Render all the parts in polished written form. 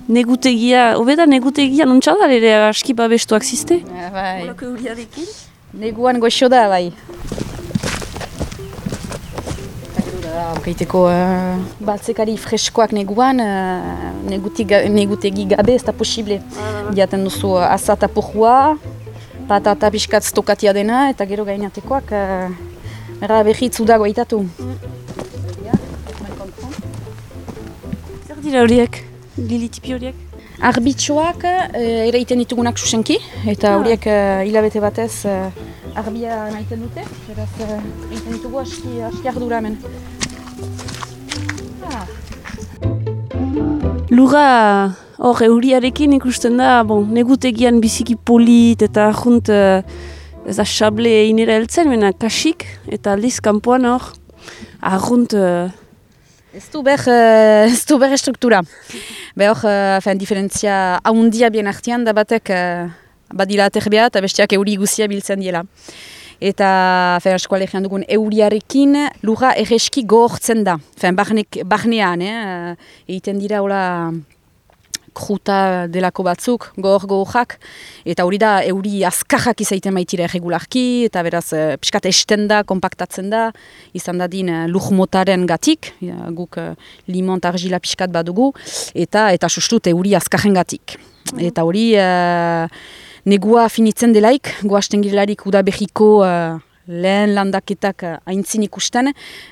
negutegia, hobeda negutegia nontxadar ere aski babestuak ziste? Bai. Olako euriarekin? Neguan goxo da, bai. Kaiteko batzekari freskoak neguan, negutegi gabe ez da posible. Diaten duzu azata pojua, patata pixkat stokatia dena, eta gero gainatekoak behitzu dago eitatu. Zer dira horiek? Lilitipi horiek? Arbitxoak eraiten ditugunak susenki, eta horiek hilabete batez arbia naiten dute, beraz egiten ditugu aski ardura hemen. Lura hor euriarekin ikusten da, negutegian biziki polit eta junt ez da xable inera heltzen, mena kasik eta aldiz kanpoan hor arrunt... Ez du ber struktura. Behor, diferentzia haundia bien artean da batek badila aterbea eta besteak euri guzia biltzen diela. Eta eskualegian dugun euriarekin lurra erreski gogortzen da. Barnean, egiten dira hola kruta delako batzuk, gogorrak. Eta hori da euri azkarrak izaiten baitira erregularki, eta beraz piskat esten da, kompaktatzen da, izan dadin lurmotaren gatik, guk limon eta argila piskat badugu, eta sustut euri azkarren gatik. Eta hori... Negua finitzen delaik, goasten girelarik udabehiko lehen landaketak aintzin ikusten.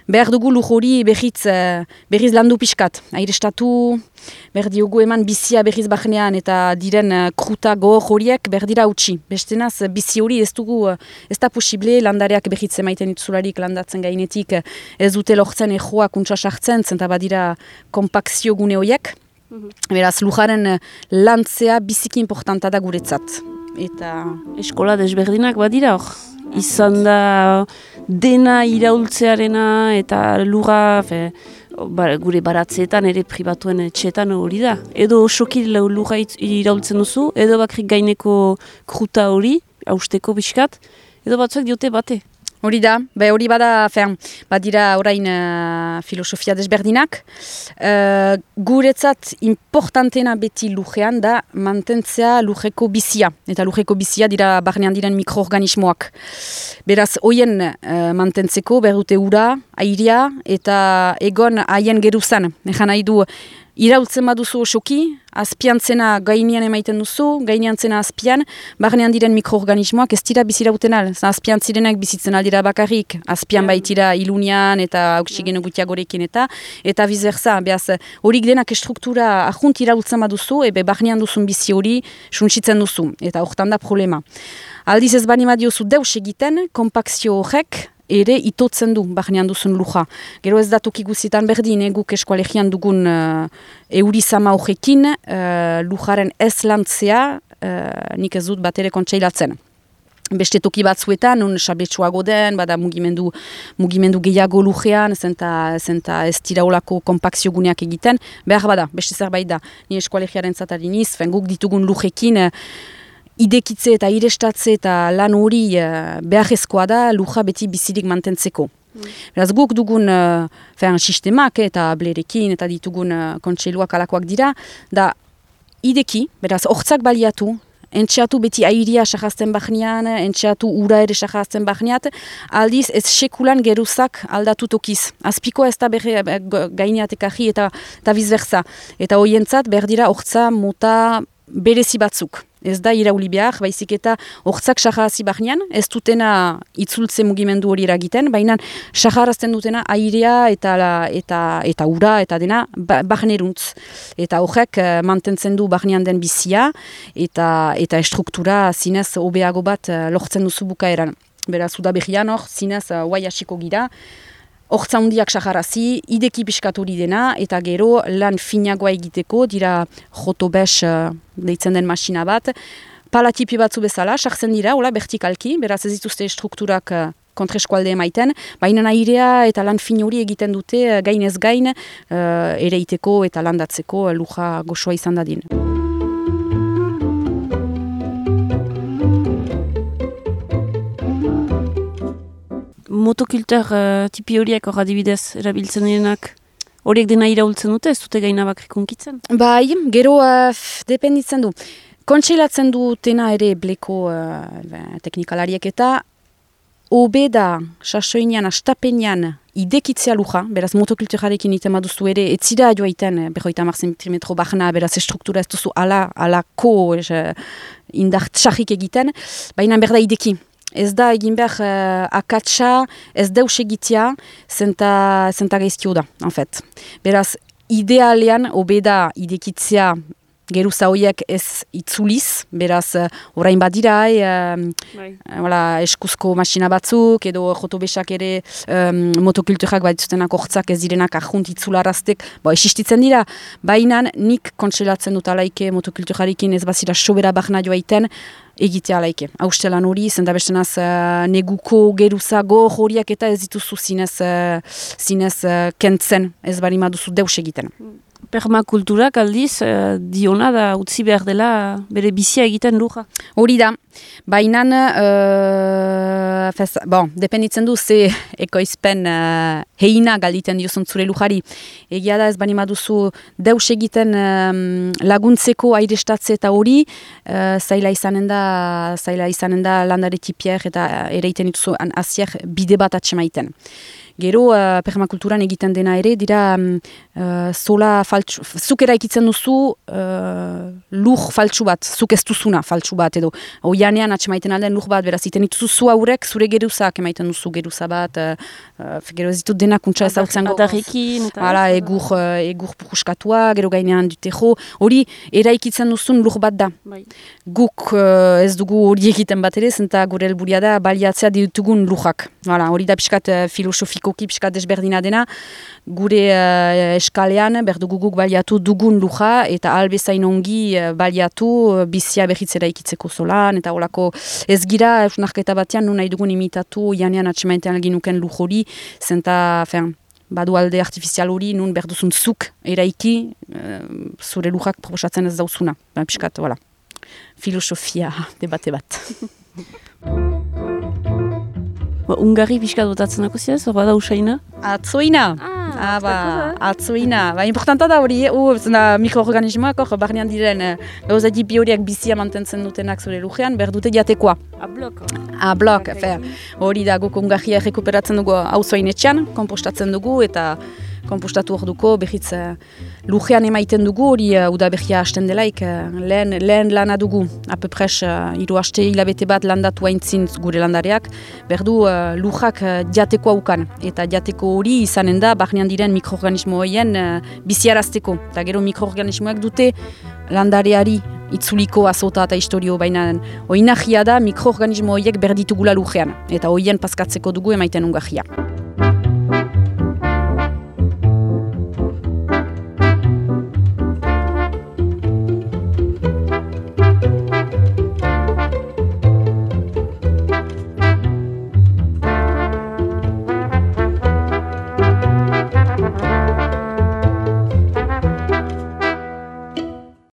Behar dugu lur hori berriz landu pixkat. Airestatu, behar diogu eman bizia berriz bahnean eta diren kruta gogor horiek behar dira utzi. Bestenaz, bizi hori ez da posible landareak berriz emaiten dituzularik landatzen gainetik ez dute lortzen ejoa kuntsa sartzen, zenta badira kompakzio gune horiek. Beraz, lujaren lantzea biziki importanta da guretzat. Eta eskola desberdinak badira hor. Izan da dena iraultzearena eta lura gure baratzeetan ere pribatuen etxeetan hori da. Edo osoki lura iraultzen duzu, edo bakrik gaineko kruta hori, hausteko biskat, edo batzuek diote bate. Hori da, hori badira orain filosofia desberdinak. Guretzat importantena beti lujean da mantentzea lujeko bizia. Eta lujeko bizia dira barnean diren mikroorganismoak. Beraz, hoien mantentzeko berdute ura, airea eta egon haien geruzan. Egan nahi du, iraultzen baduzu osoki, azpiantzena gainean emaiten duzu, gaineantzena azpian, barnean diren mikroorganismoak ez dira bizirauten al. Azpiantzirenak bizitzen aldira bakarrik, azpian baitira ilunian eta oksigeno gutiagorekin eta bizberza. Beaz, horik denak struktura ahunt iraultzen baduzu, barnean duzun bizi hori suntsitzen duzu. Eta hortan da problema. Aldiz ez bani badiozu deus egiten, kompakzio horrek, ere itotzen du, barnean duzun luja. Gero ez da toki guzitan berdin, guk eskualegian dugun eurizama horrekin, lujaren ez lantzea, nik ez dut bat ere kontseilatzen. Beste toki batzuetan, nun sabletsuago den, bada mugimendu gehiago lujean, zenta ez dira olako kompakzio guneak egiten, behar bada, beste zerbait da. Ni eskualegiaren zatadiniz, guk ditugun lujekin, idekitze eta irestatze eta lan hori beharrezkoa da luja beti bizirik mantentzeko. Beraz guk dugun sistemak eta blerekin eta ditugun kontseiluak alakoak dira, da ideki, beraz hortzak baliatu, entxeatu beti airia sajazten bahnean, entxeatu ura ere sajazten bahneat, aldiz ez sekulan geruzak aldatu tokiz. Azpiko ez da gaineatekaji eta bizberza. Eta hoientzat berdira hortza mota berezi batzuk. Ez da irauli behar, baizik eta hortzak sahazi bahnean, ez dutena itzultze mugimendu hori eragiten, baina saharazten dutena airea eta ura eta dena bahneruntz. Eta horrek mantentzen du bahnean den bizia eta struktura zinez hobeago bat lortzen duzu bukaeran. Beraz, udaberrian hor, zinez guai hasiko gira, hortza hundiak saharazi, ideki piskat hori dena, eta gero lan finagoa egiteko, dira jotobes deitzen den masina bat, palatipi batzu bezala, sartzen dira, hola, vertikalki, beraz ez dituzte strukturak kontreskualde emaiten, baina airea eta lan fin hori egiten dute gainez gain, ereiteko eta landatzeko luja goxoa izan dadin. Motokultur tipi horiek hor adibidez erabiltzen direnak? horiek dena iraultzen dute, ez dute gaina bakrik unkitzen? Bai, gero dependitzen du. Kontseilatzen dutena ere bleko teknikalariek eta hobe da, sasoinean, astapenean, idekitzea luja, beraz motokulturarekin iten baduzu ere, etzira joaiten, 50 cm bahna, beraz estruktura ez duzu alako indar txarrik egiten, baina berda ideki. Ez da egin behar akatsa, ez deus egitea, zenta gaizkio da, en fait. Beraz, idealean, hobe da idekitzea, geruza horiek ez itzuliz, beraz, orain badira, eskuzko masina batzuk, edo jotobesak ere motokulturak baditzutenak hortzak ez direnak ahunt itzularaztek, existitzen dira, baina nik kontselatzen dut alaike motokulturarekin ez bazira sobera bahna joaiten, egitea alaike. Haustelan hori, zenda bestenaz neguko geruzago horiak eta ez dituzu zinez kentzen, ez bari maduzu deus egiten. Permakulturak aldiz, diona da utzi behar dela bere bizia egiten luja. Hori da, baina, dependitzen du ze ekoizpen heina galditen diozun zure lujari. Egia da ez bani maduzu deus egiten laguntzeko airestatze eta hori, zaila izanen da landare tipier eta ereiten dituzu azier bide bat atxemaiten. Gero, permakulturan egiten dena ere, dira zola faltsu, zuk eraikitzen duzu lur faltsu bat, zuk ez duzuna faltsu bat, edo oianean atxemaiten alden lur bat, beraz, iten dituzu zu haurek, zure geruzak emaiten duzu geruza bat, gero ez ditut denak untsa ez hau zengo. Adarrekin. Egur puruskatua, gero gainean dutejo, hori eraikitzen duzun lur bat da. Bai. Guk ez dugu hori egiten bat ere, zenta gure helburia da baliatzea ditugun lujak. Hori da pixkat filosofikoki pixkat desberdina dena, gure eskalean berdugu guk baliatu dugun luja eta albezain ongi baliatu bizia behitzera ikitzeko zolan, eta holako ez gira eusnarketa batean nun nahi dugun imitatu janean atxemaitean ginuken luj hori, zenta, badu alde artifizial hori, nun berduzun zuk eraiki zure lujak proposatzen ez dauzuna. Piskat, filosofia debate bat. Ungarri piskat botatzen dako ziaz, hor bada usaina? Atzoina. Atzoina. Importanta da hori, mikroorganismoak hor barnean diren gauza tipi horiak bizia mantentzen dutenak zure lujean, berdute jatekoa. Blok. Hori da guk ungarria rekuperatzen dugu auzoinetxean, kompostatzen dugu eta kompostatu hor duko, behitz lujean emaiten dugu, hori udabehia hasten delaik, lehen lana dugu, apepres 3 aste hilabete bat landatu haintzin gure landareak, berdu lujak jatekoa ukan, eta jateko hori izanen da, barnean diren mikroorganismo horien biziarazteko, eta gero mikroorganismoak dute landareari itzuliko azota eta historio, baina oinahia da mikroorganismo horiek berditugula lujean, eta horien paskatzeko dugu emaiten ungarria.